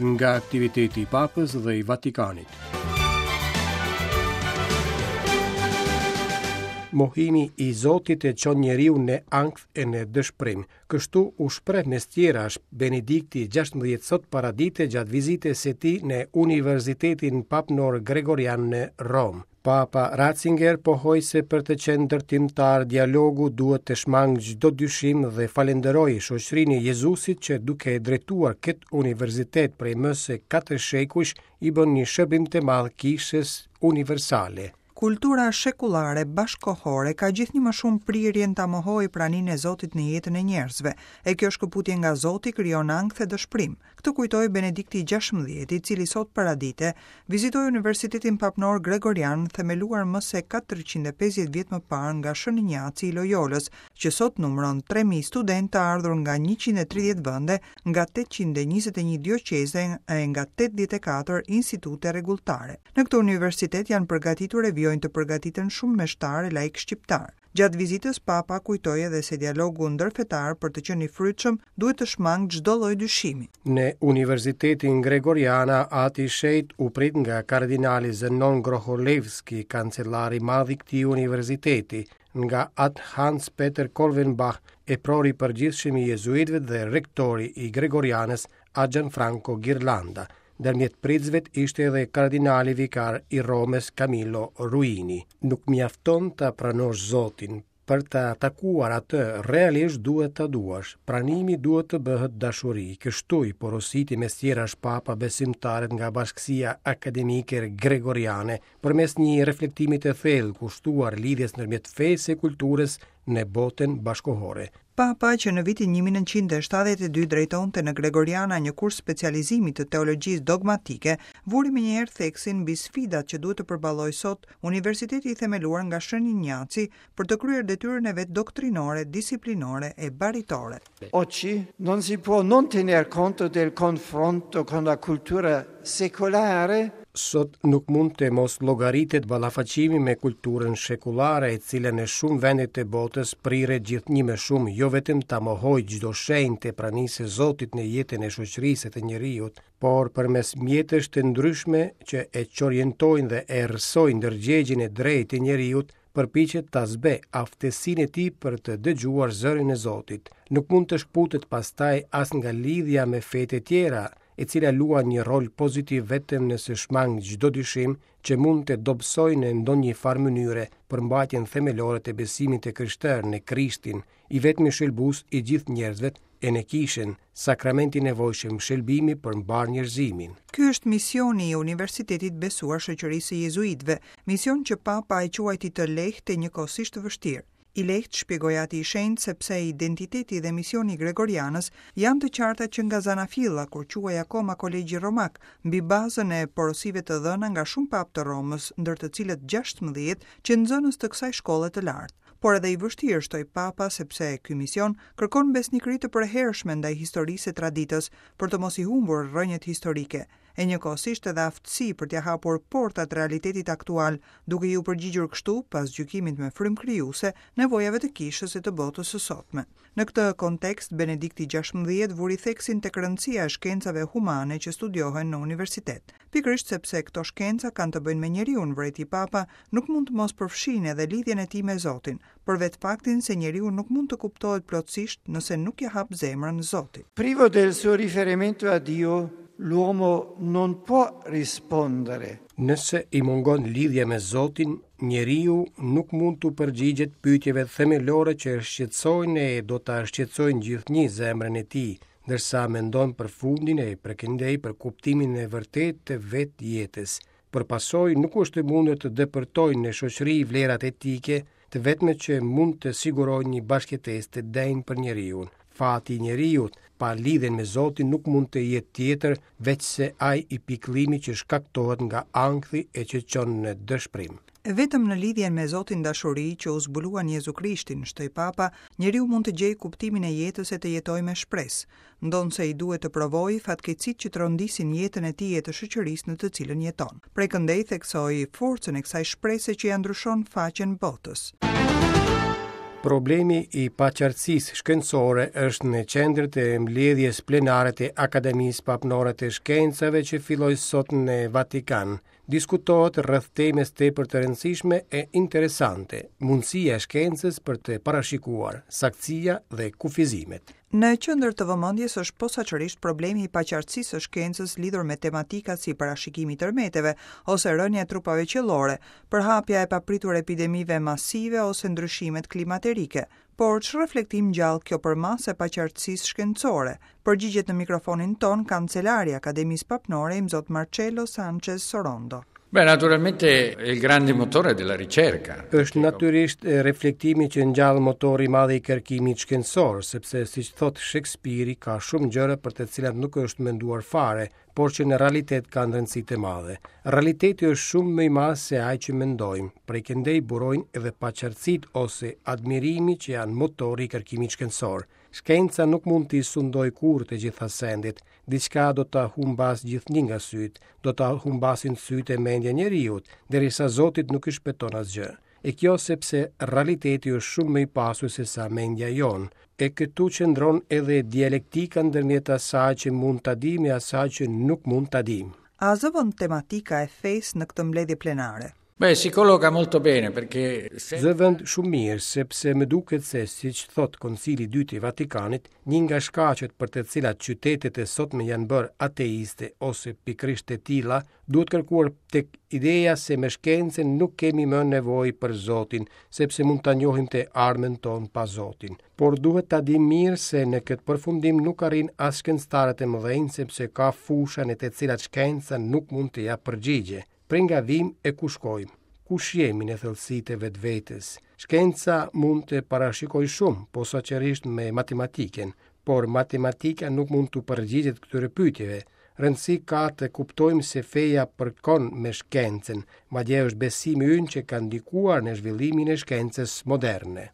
Nga aktiviteti i Papës dhe i Vatikanit. Mohimi i Zotit e çon njeriun në ankth e në dëshpërim. Kështu u shpreh mes tjerash Benedikti 16 sot paradite gjatë vizitës së tij në Universitetin Papnor Gregorian në Romë. Papa Ratzinger pohoi se për të qenë ndërtimtar dialogu duhet të shmangë çdo dyshim dhe falënderoi shoqërinë e Jezusit që duke drejtuar këtë universitet prej më se 4 shekujsh i bën një shërbim të madh kishës universale. Kultura shekullare bashkëkohore ka gjithnjë më shumë prirjen ta mohojë praninë e Zotit në jetën e njerëzve, e kjo shkëputje nga Zoti krijon ankth e dëshpërim. Këtë kujtoi Benedikti i gjashtëmbëdhjetë, i cili sot paradite vizitoi Universitetin Papnor Gregorian, themeluar më se 450 vjet më parë nga Shën Injaci i Lojolës, që sot numëron 3000 studentë të ardhur nga 130 vende, nga 821 dioqeze e nga 84 institute rregulltare. Në këtë universitet janë përgatitur e vijojnë të përgatiten shumë meshtarë e laikë shqiptarë. Gjatë vizitës Papa kujtoi edhe se dialogu ndërfetar për të qenë i frytshëm duhet të shmangë çdo lloj dyshimi. Në Universitetin Gregoriana, Ati i Shenjtë u prit nga kardinali Zenon Grocholewski, kancelar i madh i këtij universiteti, nga At Hans Peter Kolvenbach, eprori i përgjithshëm i jezuitëve dhe rektori i Gregorianës, At Gianfranco Ghirlanda. Ndërmjet pritësve ishte edhe kardinali vikar i Romës Camillo Ruini. Nuk mjafton ta pranosh Zotin, për ta takuar atë realisht duhet ta duash. Pranimi duhet të bëhet dashuri. Kështu i porositi mes tjerash Papa besimtarët nga bashkësia akademike gregoriane përmes një reflektimi të thellë kushtuar lidhjes ndërmjet fesë e kulturës në botën bashkëkohore. Papa, që në vitin 1972 drejtonte në Gregoriana një kurs specializimi të teologjisë dogmatike, vuri menjëherë theksin mbi sfidat që duhet të përballojë sot universiteti i themeluar nga Shën Injaci për të kryer detyrën e vet doktrinore, disiplinore e baritore. Oggi non si può non tener conto del confronto con la cultura secolare. Sot nuk mund të mos llogaritet ballafaqimi me kulturën shekullare, e cila në shumë vende të botës priret gjithnjë më shumë jo vetëm ta mohojë çdo shenjë të pranisë së Zotit në jetën e shoqërisë e të njeriut, por përmes mjetesh të ndryshme që e çorientojnë dhe e errësojnë ndërgjegjen e drejtë të njeriut, përpiqet ta zbehë aftësinë e tij për të dëgjuar zërin e Zotit. Nuk mund të shkëputet pastaj as nga lidhja me fetë e tjera, e cila luan një rol pozitiv vetëm nëse shmang çdo dyshim që mund të dobësojë në ndonjë farë mënyre përmbajtjen themelore të besimit të krishterë në Krishtin, i vetmi shëlbues i gjithë njerëzve e në Kishën, sakrament i nevojshëm shëlbimi për mbarë njerëzimin. Ky është misioni i Universitetit besuar Shoqërisë së Jezuitëve, mision që Papa e quajti të lehtë e njëkohësisht të vështirë. I lehtë, shpjegoi Ati i Shenjtë, sepse identiteti dhe misioni i Gregorianës janë të qarta që nga zanafilla, kur quhej akoma Kolegji Romak, mbi bazën e porosive të dhëna nga shumë papë të Romës, ndër të cilët 16 qenë nxënës të kësaj shkolle të lartë. Por edhe i vështirë, shtoi Papa, sepse ky mision kërkon besnikëri të përhershme ndaj historisë e traditës, për të mos i humbur rrënjët historike, e njëkohësisht edhe aftësi për t'ia hapur portat realitetit aktual, duke iu përgjigjur kështu, pas gjykimit me frymë krijuese, nevojave të kishës e të botës së sotme. Në këtë kontekst, Benedikti XVI vuri theksin tek rëndësia e shkencave humane që studiohen në universitet. Pikërisht sepse këto shkenca kanë të bëjnë me njeriun, vërejti Papa, nuk mund të mos përfshijnë edhe lidhjen e tij me Zotin, për vetë faktin se njeriu nuk mund të kuptohet plotësisht nëse nuk ia hap zemrën Zotit. Privo del suo riferimento a Dio, l'uomo non può rispondere. Nëse i mungon lidhja me Zotin, njeriu nuk mund t'u përgjigjet pyetjeve themelore që e shqetësojnë e do ta shqetësojnë gjithnjë zemrën e tij, ndërsa mendon për fundin e prekëndej për kuptimin e vërtetë të vetë jetës. Për pasojë, nuk është e mundur të depërtojnë në shoqëri vlerat etike, të vetme që mund të sigurojnë një bashkëjetesë të denjë për njeriun. Fati i njeriut, pa lidhjen me Zotin nuk mund të jetë tjetër veçse ai i pikëllimit që shkaktohet nga ankthi e që çon në dëshpërim. Vetëm në lidhjen me Zotin dashuri që u zbulua në Jezu Krishtin, shtoi Papa, njeriu mund të gjejë kuptimin e jetës e të jetojë me shpresë, ndonëse i duhet të provojë fatkeqësitë që trondisin jetën e tij e të shoqërisë në të cilën jeton. Prej këndej theksoi forcën e kësaj shprese që ia ndryshon faqen botës. Problemi i paqartësisë shkencore është në qendër të mbledhjes plenare të Akademisë Papnore të Shkencave që filloi sot në Vatikan. Diskutohet rreth temës tepër të rëndësishme e interesante, mundësia e shkencës për të parashikuar, saktësia dhe kufizimet. Në qendër të vëmendjes është posaçërisht problemi i paqartësisë së shkencës lidhur me tematika si parashikimi i tërmeteve ose rënia e trupave qiellore, përhapja e papritur e epidemive masive ose ndryshimet klimaterike. Por ç'reflektim ngjall kjo përmasë e paqartësisë shkencore? Përgjigjet në mikrofonin tonë kancelari i Akademisë Papnore Imzot Marcello Sanchez Sorondo. Beh, naturalmente è il grande motore della ricerca. Është natyrisht reflektimi që ngjall motori i madh i kërkimit shkencor, sepse siç thotë Shekspiri, ka shumë gjëra për të cilat nuk është menduar fare, por që në realitet kanë rëndësi të madhe. Realiteti është shumë më i madh se ai që mendojmë. Prej këndej burojnë edhe paqartësitë ose admirimi që janë motori i kërkimit shkencor. Shkenca nuk mund t'i sundojë kurrë të gjitha sendet, diçka do ta humbasë gjithnjë nga sytë, do ta humbasin sytë e mendja e njeriut, derisa Zotit nuk i shpëton asgjë. E kjo sepse realiteti është shumë më i pasur sesa mendja jonë. E këtu qëndron edhe dialektika ndërmjet asaj që mund ta dimë e asaj që nuk mund ta dimë. A zë vend tematika e fesë në këtë mbledhje plenare? Beh, si colloca molto bene perché se... Zë vend shumë mirë, sepse më duket se, siç thotë Koncili i Dytë i Vatikanit, një nga shkaqet për të cilat qytetet e sotme janë bërë ateiste ose pikërisht të tilla, duhet kërkuar tek ideja se me shkencën nuk kemi më nevojë për Zotin, sepse mund ta njohim të ardhmen tonë pa Zotin. Por duhet ta dimë mirë se në këtë përfundim nuk arrijnë as shkencëtarët e mëdhenj, sepse ka fusha në të cilat shkenca nuk mund të japë përgjigje. Prej nga vijmë e ku shkojmë? Kush jemi në thellësi të vetvetes? Shkenca mund të parashikojë shumë, posaçërisht me matematikën, por matematika nuk mund t'u përgjigjet këtyre pyetjeve. Rëndësi ka të kuptojmë se feja përkon me shkencën, madje është besimi ynë që ka ndikuar në zhvillimin e shkencës moderne.